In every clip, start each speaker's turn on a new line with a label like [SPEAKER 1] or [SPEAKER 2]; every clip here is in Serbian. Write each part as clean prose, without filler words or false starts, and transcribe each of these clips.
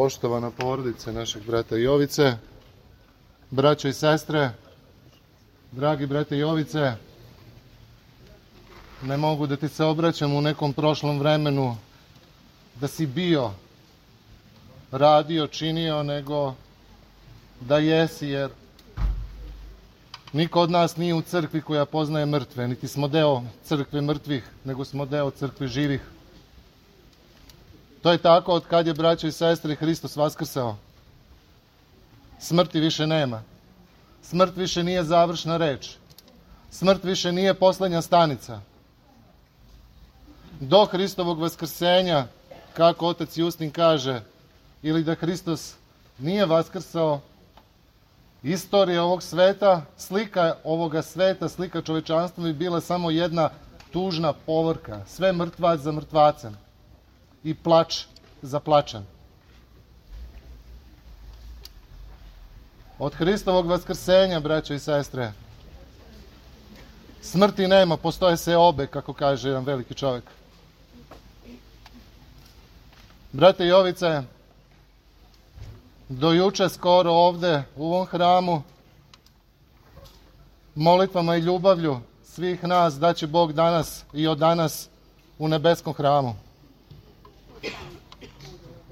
[SPEAKER 1] Poštovana porodice našeg brata Jovice, braćo i sestre, dragi brate Jovice, ne mogu da ti se obraćam u nekom prošlom vremenu da si bio, radio, činio, nego da jesi, jer niko od nas nije u crkvi koja poznaje mrtve, niti smo deo crkve mrtvih, nego smo deo crkve živih. To je tako od kad je, braćo i sestre, Hristos vaskrsao. Smrti više nema. Smrt više nije završna reč. Smrt više nije poslednja stanica. Do Hristovog vaskrsenja, kako otac Justin kaže, ili da Hristos nije vaskrsao, istorija ovog sveta, slika ovoga sveta, slika čovečanstva bi bila samo jedna tužna povorka. Sve mrtvac za mrtvacem i plač za plačem. Od Hristovog vaskrsenja, braćo i sestre, smrti nema, postoje seobe, kako kaže jedan veliki čovjek. Brate Jovice, do juče skoro ovde u ovom hramu, molitvama i ljubavlju svih nas daće Bog danas i od danas u nebeskom hramu.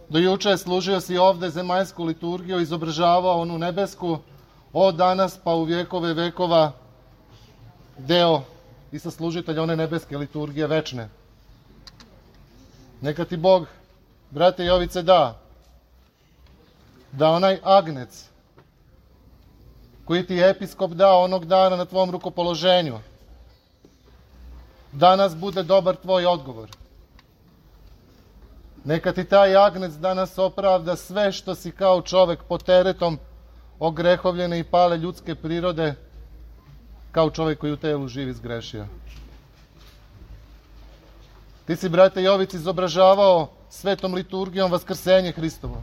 [SPEAKER 1] Do juče služio si ovde zemaljsku liturgiju, izobražavao onu nebesku, od danas pa u vjekove vekova deo i saslužitelj one nebeske liturgije večne. Neka ti Bog, brate Jovice, da onaj agnec koji ti je episkop dao onog dana na tvom rukopoloženju, danas bude dobar tvoj odgovor. Neka ti taj agnec danas opravda sve što si kao čovek pod teretom ogrehovljene i pale ljudske prirode, kao čovek koji u telu živi zgrešio. Ti si, brate Jovici, izobražavao svetom liturgijom vaskrsenje Hristovo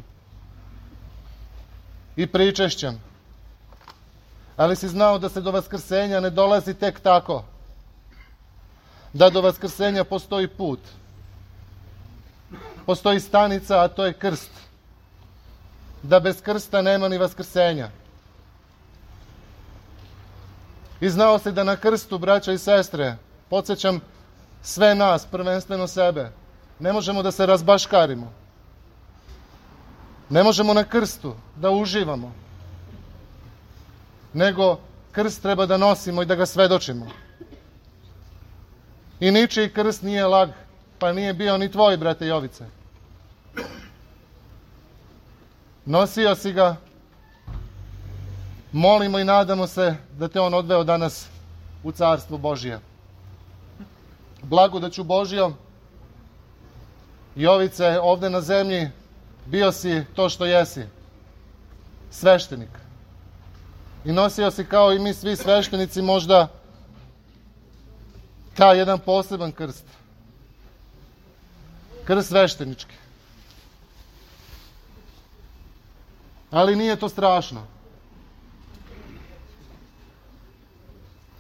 [SPEAKER 1] i pričešćem. Ali si znao da se do vaskrsenja ne dolazi tek tako. Da do vaskrsenja postoji put. Postoji stanica, a to je krst. Da bez krsta nema ni vaskrsenja. I znao si da na krstu, braća i sestre, podsjećam sve nas, prvenstveno sebe, ne možemo da se razbaškarimo. Ne možemo na krstu da uživamo. Nego krst treba da nosimo i da ga svedočimo. I ničiji krst nije lag, pa nije bio ni tvoj, brate Jovice. Nosio si ga, molimo i nadamo se da te on odveo danas u carstvo Božije. Blagodaću Božijom, Jovice, ovde na zemlji bio si to što jesi, sveštenik. I nosio si kao i mi svi sveštenici možda taj jedan poseban krst. Krst sveštenički. Ali nije to strašno.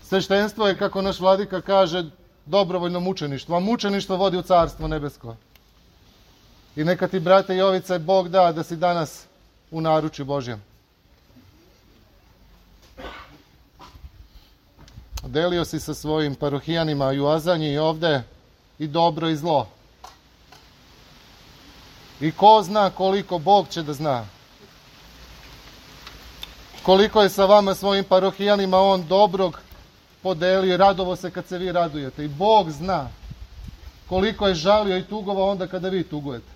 [SPEAKER 1] Sveštenstvo je, kako naš vladika kaže, dobrovoljno mučeništvo, a mučeništvo vodi u carstvo nebesko. I neka ti, brate Jovice, Bog da si danas u naručju Božjem. Delio si sa svojim parohijanima i u Azanji i ovde i dobro i zlo. I ko zna koliko, Bog će da zna. Koliko je sa vama svojim parohijanima on dobrog podelio i radovo se kad se vi radujete. I Bog zna koliko je žalio i tugovao onda kada vi tugujete.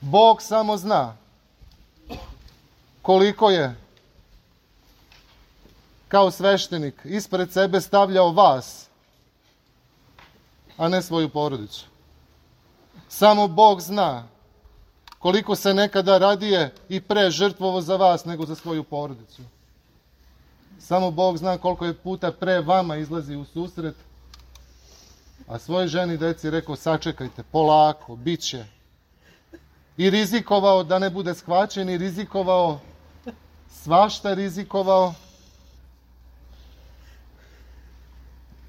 [SPEAKER 1] Bog samo zna koliko je kao sveštenik ispred sebe stavljao vas, a ne svoju porodicu. Samo Bog zna koliko se nekada radije i pre žrtvovo za vas nego za svoju porodicu. Samo Bog zna koliko je puta pre vama izlazi u susret, a svojoj ženi i deci rekao sačekajte, polako, bit će. I rizikovao da ne bude shvaćen i rizikovao, svašta rizikovao,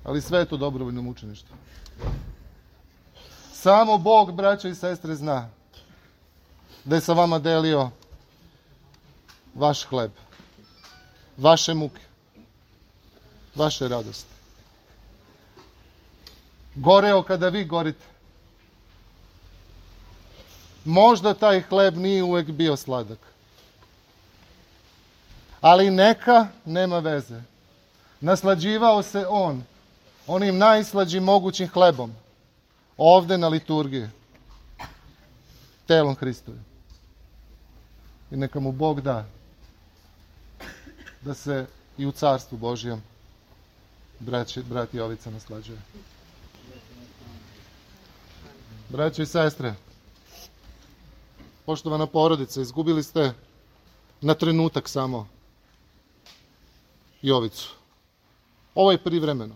[SPEAKER 1] ali sve je to dobrovoljno mučeništvo. Samo Bog, braćo i sestre, zna. da je sa vama delio vaš hleb, vaše muke, vaše radosti. Goreo kada vi gorite. Možda taj hleb nije uvek bio sladak. Ali neka, nema veze. Naslađivao se on onim najslađim mogućim hlebom ovde na liturgiji, telom Hristovim. I neka mu Bog da da se i u Carstvu Božijem brat Jovica naslađuje. Braćo i sestre, poštovana porodice, izgubili ste na trenutak samo Jovicu. Ovo je privremeno.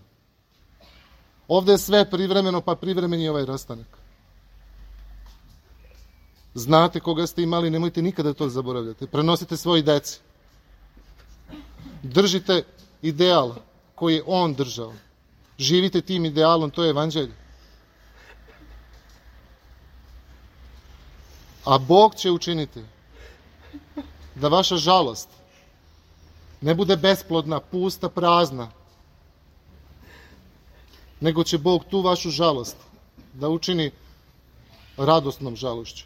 [SPEAKER 1] Ovde je sve privremeno, pa privremen je ovaj rastanak. Znate koga ste imali, nemojte nikada to zaboravljati. Prenosite svoj deci. Držite ideal koji je on držao. Živite tim idealom, to je evanđelje. A Bog će učiniti da vaša žalost ne bude besplodna, pusta, prazna, nego će Bog tu vašu žalost da učini radosnom žalošću.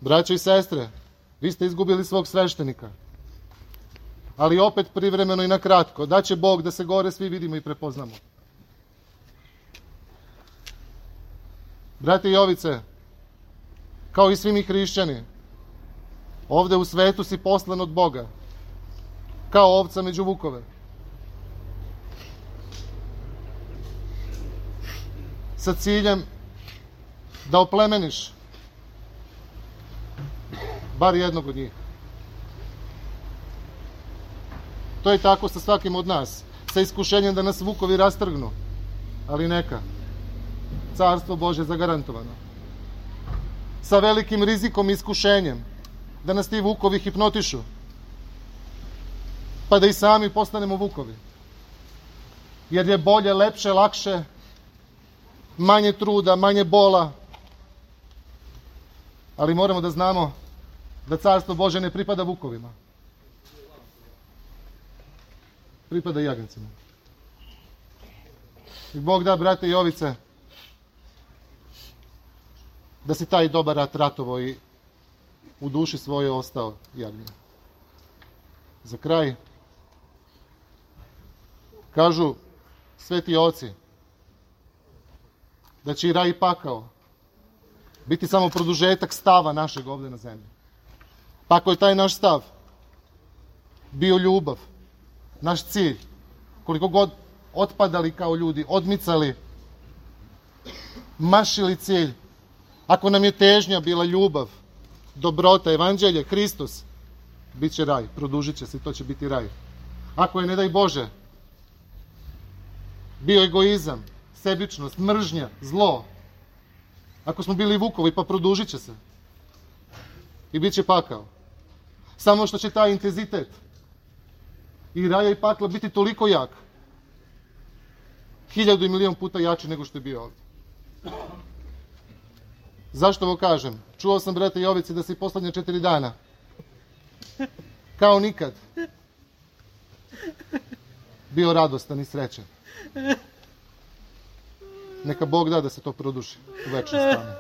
[SPEAKER 1] Braćo i sestre, vi ste izgubili svog sveštenika, ali opet privremeno i na kratko. Daće Bog da se gore svi vidimo i prepoznamo. Brate Jovice, kao i svi mi hrišćani, ovde u svetu si poslan od Boga, kao ovca među vukove. Sa ciljem da oplemeniš bar jednog od njih. To je tako sa svakim od nas, sa iskušenjem da nas vukovi rastrgnu, ali neka. Carstvo Božje zagarantovano. Sa velikim rizikom i iskušenjem da nas ti vukovi hipnotišu, pa da i sami postanemo vukovi. Jer je bolje, lepše, lakše, manje truda, manje bola. Ali moramo da znamo da Carstvo Božje ne pripada vukovima. Pripada jagnjacima. I Bog da, brate Jovice, da si taj dobar rat ratovao i u duši svojoj ostao jagnje. Za kraj, kažu sveti oci da će i raj i pakao biti samo produžetak stava našeg ovde na zemlji. Pa ako je taj naš stav bio ljubav, naš cilj, koliko god otpadali kao ljudi, odmicali, mašili cilj, ako nam je težnja bila ljubav, dobrota, evanđelje, Hristos, bit će raj, produžit će se i to će biti raj. Ako je, ne daj Bože, bio egoizam, sebičnost, mržnja, zlo, ako smo bili vukovi, pa produžit će se i bit će pakao. Samo što će taj intenzitet i raja i pakla biti toliko jak, 1000 i milion puta jači nego što je bio ovdje. Zašto ovo kažem? Čuo sam, brate Jovici, da si poslednje 4 dana kao nikad bio radostan i srećan. Neka Bog da da se to produši u večnom stanu.